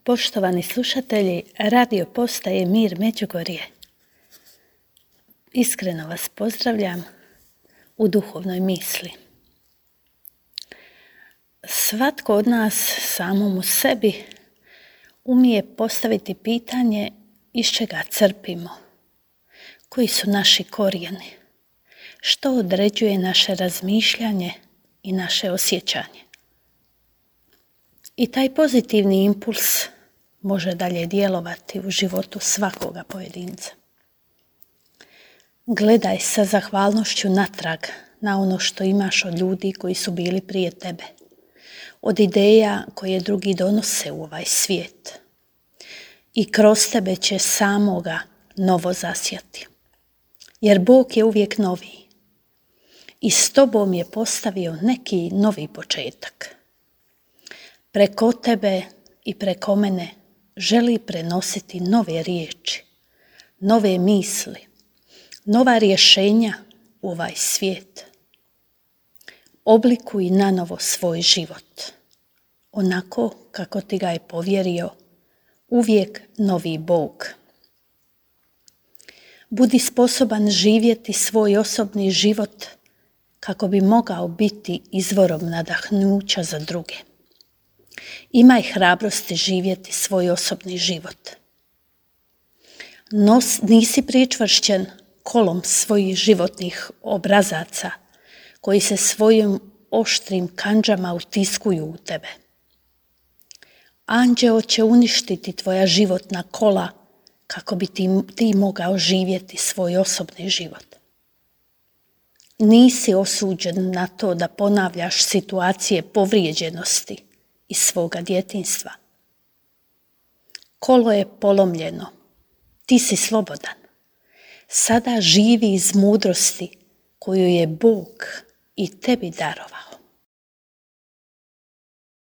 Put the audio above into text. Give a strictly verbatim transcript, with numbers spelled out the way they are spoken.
Poštovani slušatelji, radio postaje Mir Međugorje. Iskreno vas pozdravljam u duhovnoj misli. Svatko od nas samom u sebi umije postaviti pitanje iz čega crpimo, koji su naši korijeni, što određuje naše razmišljanje i naše osjećanje. I taj pozitivni impuls može dalje djelovati u životu svakoga pojedinca. Gledaj sa zahvalnošću natrag na ono što imaš od ljudi koji su bili prije tebe, od ideja koje drugi donose u ovaj svijet. I kroz tebe će samoga novo zasjati. Jer Bog je uvijek noviji. I s tobom je postavio neki novi početak. Preko tebe i preko mene želi prenositi nove riječi, nove misli, nova rješenja u ovaj svijet. Oblikuj nanovo svoj život, onako kako ti ga je povjerio uvijek novi Bog. Budi sposoban živjeti svoj osobni život kako bi mogao biti izvorom nadahnuća za druge. Imaj hrabrosti živjeti svoj osobni život. Nos, nisi pričvršćen kolom svojih životnih obrazaca koji se svojim oštrim kandžama utiskuju u tebe. Anđeo će uništiti tvoja životna kola kako bi ti, ti mogao živjeti svoj osobni život. Nisi osuđen na to da ponavljaš situacije povrijeđenosti iz svoga djetinjstva. Kolo je polomljeno, ti si slobodan. Sada živi iz mudrosti koju je Bog i tebi darovao.